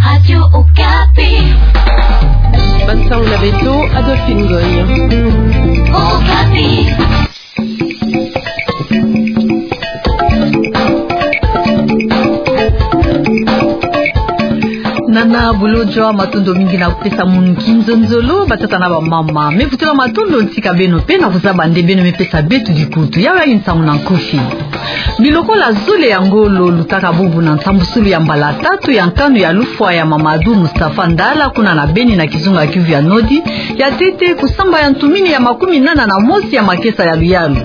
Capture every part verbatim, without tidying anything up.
Radio Okapi. Bansango na beto, Adolphine Ngoy. Okapi. Nana Bolodjwa, matondo mingi na kupesa munu kinzonzolo, batata na bamama. Me vutula matondo ntika beno pe na kuzaba nde beno me pesa beto dikutu. Yawe, yandi nsangu na nkufi. Bilokola zole ya ngolo lutaka bubu na nsambusulu ya mbala tatu ya nkanu ya lufwa ya Mamadou Moustapha Ndala kuna na Beni na kizunga Kivu ya Nodi. Ya ntete, kusamba ya ntumini ya makumi nana na mosi ya makesa ya luyalu.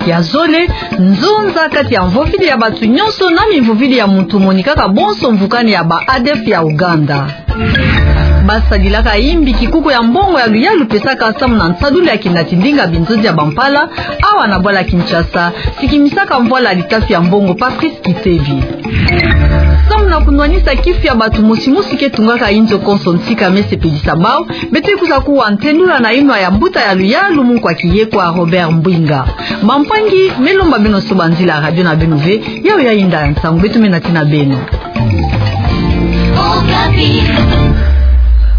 Ya zole, nzonza kati ya mvovidi ya bato nyonso na mimvovidi ya muntu monikaka bonso mvukani ya ba ADF ya Ouganda. Basadilaka imbi kikuku ya mbongo ya luyalu pesaka samu na nsadulu ya kinati ndinga binzonzi ya bampala, awa na bwala Kinshasa, sikimisaka mvwala litafi ya mbongo Patrice Kitevi. Samu na kunwanisa kifi ya bato mosimosi ke tungaka inzo konso ntika me sepelisa bawu, beto ke kwiza kuwa ntendula na inwa ya mbuta ya luyalu mu nkwa kiye kwa Robert Mbwinga. Bampangi, me lomba beno soba nzila radio na beno ve, yawe yayinda ya nsangu, beto me nati na beno.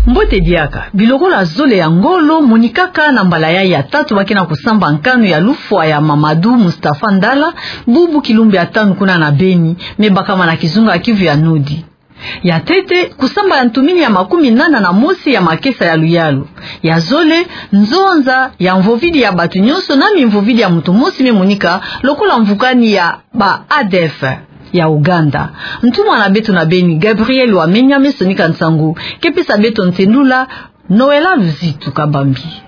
Mbote diaka. Bilokola zole ya ngolo monikaka na mbala yayi ya tatu ba ke na kusamba nkanu ya lufwa ya Mamadou Moustapha Ndala, bubu kilumbu ya tanu kuna na Beni, me bakama na kizunga Kivu ya Nodi. Ya ntete, kusamba ya ntumini ya makumi nana na mosi ya makesa ya luyalu. Ya zole, nzonza ya mvovidi ya bato nyonso na mimvovidi ya muntu mosi me monika lokola mvukani ya ba ADF ya Ouganda. Ntumwa na beto na Beni, Gabriel Wamenya, me sonika nsangu, ke pesa beto ntendula. Noëlla Luzitu Kabambi.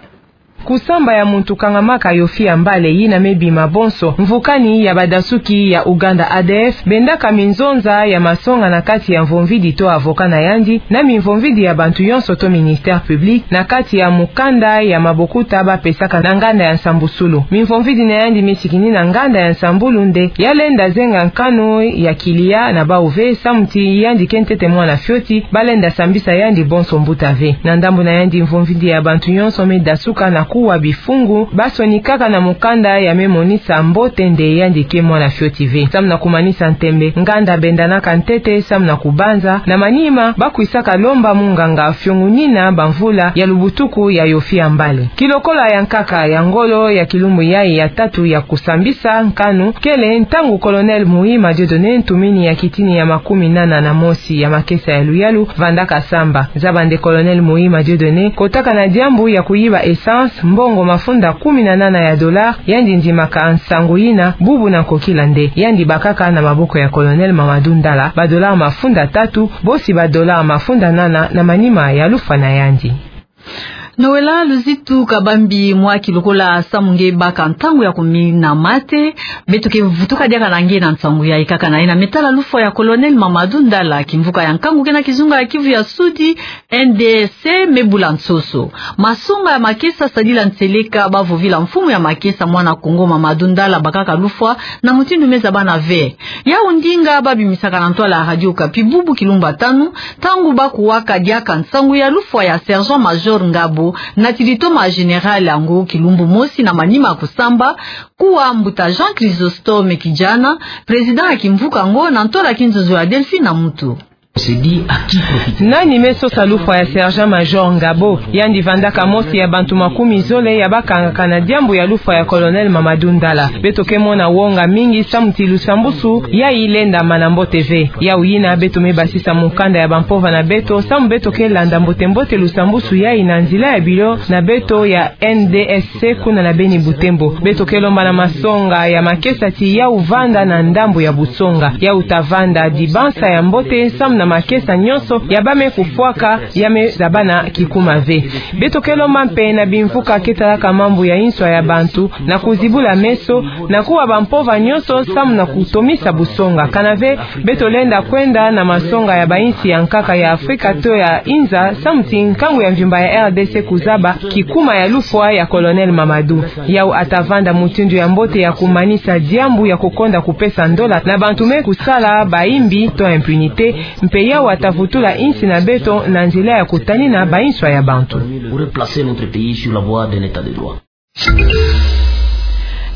Kusamba ya muntu kangamaka Yofi ya Mbale, yina me bima bonso mvukani ya badasuki ya Ouganda ADF, bendaka minzonza ya masonga na kati ya mvomvidi to avocat na yandi, na mimvomvidi ya bantu yonso to ministère public, na kati ya mukanda ya mabokuta ba pesaka na nganda ya nsambusulu. Mimvomvidi na yandi me sikini na nganda ya nsambulu nde ya lenda zenga nkanu ya kilia na bawu ve, samu ti yandi ke ntete mwana fioti, ba lenda sambisa yandi bonso mbuta ve. Na ndambu na yandi, mvomvidi ya bantu yonso me dasuka na kuwa bifungu ba sonikaka na mukanda ya me monisa mbote nde yandi ke mwana fioti ve. Samu na kumanisa ntembe, nganda bendanaka ntete samu na kubanza, na manima ba kwisaka lomba munganga fiongonina bamvula ya lubutuku ya Yofi ya Mbale. Kilokola ya nkaka ya ngolo ya kilumbu yayi ya tatu ya kusambisa nkanu, kele ntangu Colonel Muhima Dieudonné, ntumini ya kitini ya makumi nana na mosi ya makesa ya luyalu, vandaka samba. Zaba nde Colonel Muhima Dieudonné kotaka na diambu ya kuyiba essence, mbongo mafunda kumi na nana ya dollars, yandi ndimaka nsangu yina bubu na nkokila nde yandi bakaka na maboko ya Colonel Mamadou Ndala ba dollars mafunda tatu, bosi ba dollars mafunda nana na manima ya lufwa na yandi. Noëlla Luzitu Kabambi, mwa kilokola samu nge baka ntangu ya kumina mate, beto ke vutuka diaka na nge na nsangu ya ikaka na yina me tala lufwa ya Colonel Mamadou Ndala, kimvuka ya nkangu ke na kizunga ya Kivu ya Sudi, N D S C, me bula nsoso. Masonga ya makesa sadila nseleka ba vovila mfumu ya makesa mwana Kongo Mamadou Ndala bakaka lufwa na mutindu me zabana ve. Yawu ndinga ba bimisaka na ntwala ya Radio Okapi bubu kilumbu ya tanu, ntangu ba kuwaka diaka nsangu ya lufwa ya Sergent-Major Ngabo, nati litoma ya Général yango kilumbu mosi na manima ya kusamba, kuwa mbuta Jean Chrysostome Kijana, président ya kimvuka yango, na ntwala ya kinzonzolo ya Delphine Amutu. Nani me sosa lufwa ya Sergent-Major Ngabo? Yandi vandaka mosi ya bantu makumi zole ya ba kangaka na diambu ya lufwa ya Colonel Mamadou Ndala. Beto ke mona wonga mingi samu ti lusambusu yayi lenda mana mbote ve. Yawu yina beto me basisa mukanda ya bampova na beto samu beto ke landa mbote-mbote lusambusu yayi na nzila ya biro na beto ya N D S C kuna na Beni-Butembo. Beto ke lomba na masonga ya makesa ti yawu vanda na ndambu ya busonga. Yawu ta vanda dibansa ya mbote samu na makesa nyonso ya ba me kufwaka ya me zabana kikuma ve. Beto ke lomba mpe na bimvuka ke talaka mambu ya inswa ya bantu na kuzibula meso, na kuwa bampova nyonso samu na kutomisa busonga. Kana ve, beto lenda kwenda na masonga ya bainsi ya nkaka ya Afrika to ya Inza, samu ti nkangu ya mvimba ya R D C kuzaba kikuma ya lufwa ya Colonel Mamadou. Yawu ata vanda mutindu ya mbote ya kumanisa diambu ya kukonda kupesa ndola na bantu me kusala baimbi to impunité, mpe yawu ata vutula insi na beto na nzila ya kutanina bainswa ya bantu. Pour replacer notre pays sur la voie de l'état de droit.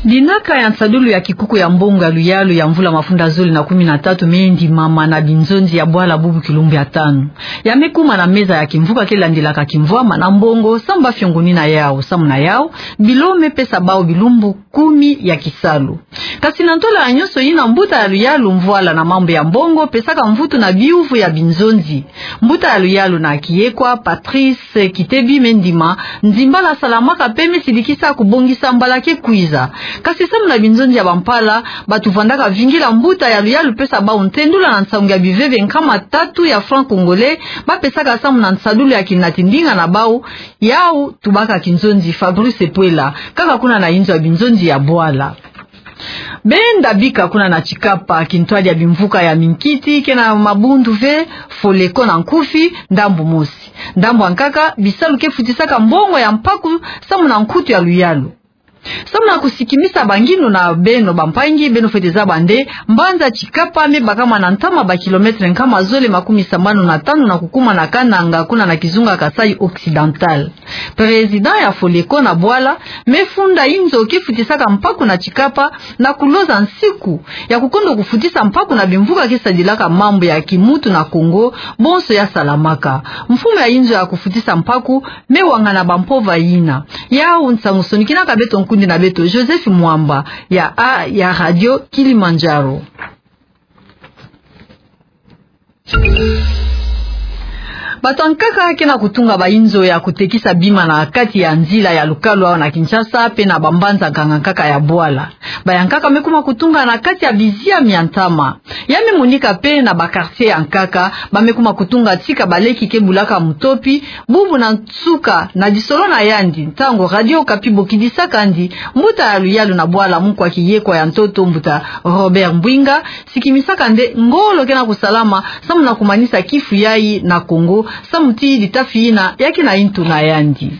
Dinaka ya nsadulu ya kikuku ya mbongo ya luyalu ya mvula mafunda zole na kumi na tatu me ndimama na binzonzi ya bwala bubu kilumbu ya tanu. Ya me kuma na meza ya kimvuka ke landilaka kimvwama na mbongo samu ba fiongonina yau, samu na yau, bilo me pesa bau bilumbu kumi ya kisalu. Kasi na ntola ya nyonso yina, mbuta ya luyalu mvwala na mambu ya mbongo pesaka mvutu na biuvu ya binzonzi. Mbuta ya luyalu na kiyekwa, Patrice Kitebi, me ndima nzimbala salamaka pe me sidikisa kubongisa mbala ke kwiza. Kasi samu na binzonzi ya bampala, bato vandaka vingila mbuta ya luyalu pesa bau ntendula na nsangu ya biveve nkama tatu ya franc congolais, ba pesaka samu na nsadulu ya kinati ndinga na bau, yau tubaka kinzonzi Fabrice Puela, kaka kuna na inzo ya binzonzi ya bwala. Benda bika kuna na Tshikapa, kintwadi ya bimvuka ya minkiti, ke na mabundu ve, Foleko na nkufi, ndambu mosi. Ndambu ya nkaka, bisalu ke futisaka mbongo ya mpaku samu na nkutu ya luyalu. Samu na kusikimisa bangindu na beno bampangi, beno fwete zaba nde mbanza Tshikapa me bakama na ntama ba kilomètre nkama zole makumi sambanu na tanu na kukuma na Kananga, kuna na kizunga Kasaï Occidental. Président ya Foleko na bwala me funda inzo ke futisaka mpaku na Tshikapa na kuloza nsiku ya kukondo kufutisa mpaku na bimvuka ke sadilaka mambu ya kimuntu na Kongo, bonso ya salamaka. Mfumu ya inzo ya kufutisa mpaku me wangana bampova yina. Yau nsangu sonikinaka beto nkundi na beto Joseph Mwamba ya a ya Radio Kilimanjaro. Bato ya nkaka ke na kutunga bainzo ya kutekisa bima na kati ya nzila ya lukalu awa na Kinshasa, pe na bambanza nkaka-nkaka ya bwala. Ba ya nkaka me kuma kutunga na kati ya biziami ya ntama. Ya me monika pe na ba quartier ya nkaka, ba me kuma kutunga tika baleki ke bulaka mutopi, bubu na nsuka na disolo na yandi, ntangu Radio Okapi bokidisaka yandi, mbuta ya luyalu na bwala, mukwa kiyekwa ya ntoto, mbuta Robert Mbwinga, sikimisaka nde ngolo ke na kusalama samu na kumanisa kifu yayi na Kongo, samu ti ditafi yina ya ke na intu na yandi.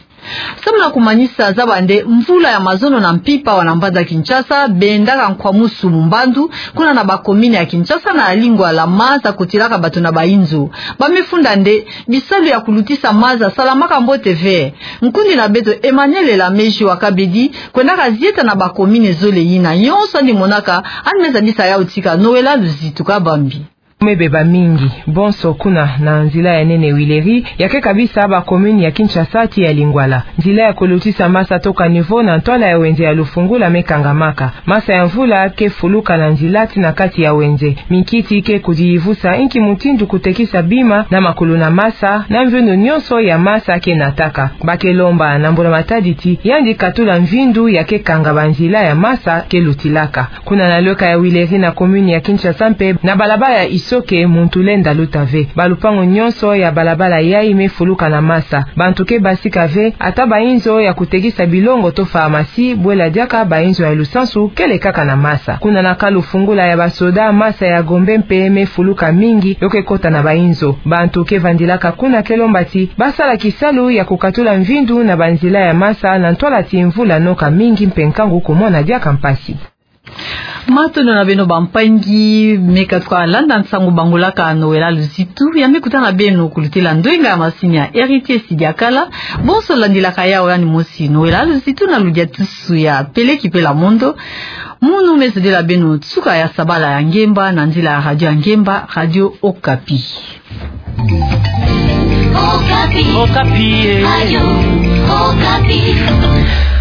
Samu na kumanisa, zaba nde mvula ya mazono na mpimpa awa na mbanza Kinshasa, bendaka nkwamusu mu mbandu, kuna na ba commune ya Kinshasa na ya Lingwala, maza kotilaka bato na bainzo. Ba me funda nde bisalu ya kulutisa maza salamaka mbote ve. Nkundi na beto Emmanuel Elameji wa Kabedi kwendaka zieta na ba commune zole yina. Nyonso yandi monaka, yandi me zabisa yau tika. Noëlla Luzitu Kabambi. Me beba mingi, bonso kuna na nzila ya nene Huileries, ya ke kabisa ba commune ya Kinshasa ti ya Lingwala. Nzila ya kulutisa masa to caniveau na ntwala ya wenze ya Lufungula me kangamaka. Masa ya mvula ke fuluka na nzila ti na kati ya wenze. Minkiti ke kudiyivusa inki mutindu kutekisa bima na makulu na masa, na mvindu nyonso ya masa ke nataka. Ba ke lomba na mbula matadi ti yandi katula mvindu ya ke kanga banzila ya masa ke lutilaka. Kuna na lweka ya Huileries na commune ya Kinshasa mpe, na balabala ya Isoke, muntu lenda luta ve. Balupangu nyonso ya balabala yayi me fuluka na masa. Bantu ke basika ve, ata bainzo ya kutekisa bilongo to pharmacie, bwela diaka bainzo ya lusansu, kele kaka na masa. Kuna na camp Lufungula ya basoda, masa ya Gombe mpe me fuluka mingi, yo ke kota na bainzo. Bantu ke vandilaka kuna ke lomba ti ba sala kisalu ya kukatula mvindu na banzila ya masa, na ntwala ti mvula noka mingi mpe nkangu kumona diaka mpasi. Matondo na beno bampangi, me katuka landa nsangu bangolaka Noëlla Luzitu, ya me kutana beno kulutela ndwenga ya masini ya Héritier Sidiakala. Bonso landilaka yau, yandi mosi Noëlla Luzitu na ludiatusu ya Peleki Pela Mondo. Munu me zodila beno nsuka ya sabala ya ngemba na nzila ya radio ya ngemba, Radio Okapi. Okapi. Okapi, eh. Radio Okapi.